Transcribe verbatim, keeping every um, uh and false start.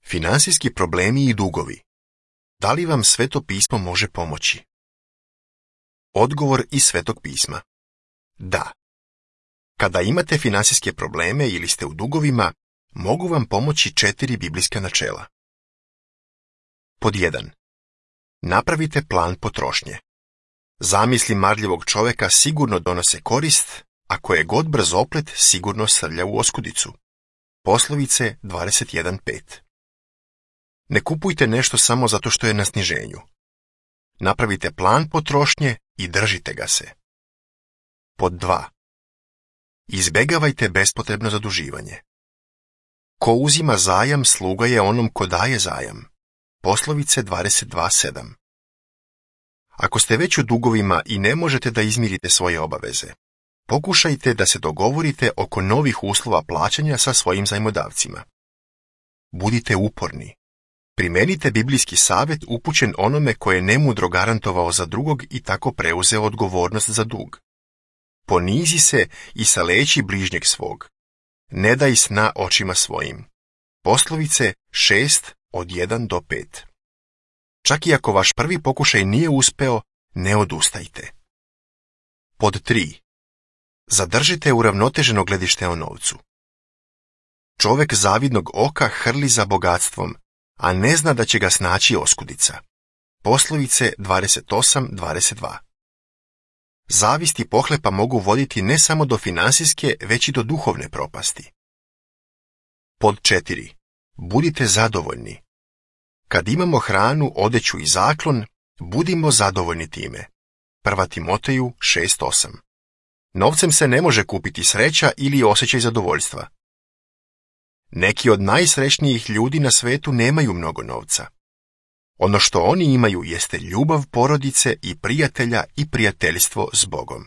Finansijski problemi i dugovi. Da li vam Sveto pismo može pomoći? Odgovor iz Svetog pisma. Da. Kada imate finansijske probleme ili ste u dugovima, mogu vam pomoći četiri biblijska načela. Pod jedan. Napravite plan potrošnje. Zamisli marljivog čovjeka sigurno donose korist, a koje god brzoplet sigurno srlja u oskudicu. Poslovice dvadeset jedan pet. Ne kupujte nešto samo zato što je na sniženju. Napravite plan potrošnje i držite ga se. Pod dva. Izbegavajte bespotrebno zaduživanje. Ko uzima zajam, sluga je onom ko daje zajam. Poslovice dvadeset dva sedam. Ako ste već u dugovima i ne možete da izmirite svoje obaveze, pokušajte da se dogovorite oko novih uslova plaćanja sa svojim zajmodavcima. Budite uporni. Primenite biblijski savjet upućen onome koje je nemudro garantovao za drugog i tako preuzeo odgovornost za dug. Ponizi se i saleći bližnjeg svog. Ne daj sna očima svojim. Poslovice šest od jedan do pet. Čak i ako vaš prvi pokušaj nije uspeo, ne odustajte. Pod tri. Zadržite uravnoteženo gledište o novcu. Čovek zavidnog oka hrli za bogatstvom, a ne zna da će ga snaći oskudica. Poslovice dvadeset osam dvadeset dva. Zavist i pohlepa mogu voditi ne samo do finansijske, već i do duhovne propasti. Pod četiri. Budite zadovoljni. Kad imamo hranu, odeću i zaklon, budimo zadovoljni time. Prva Timoteju šest osam. Novcem se ne može kupiti sreća ili osjećaj zadovoljstva. Neki od najsrećnijih ljudi na svetu nemaju mnogo novca. Ono što oni imaju jeste ljubav porodice i prijatelja i prijateljstvo s Bogom.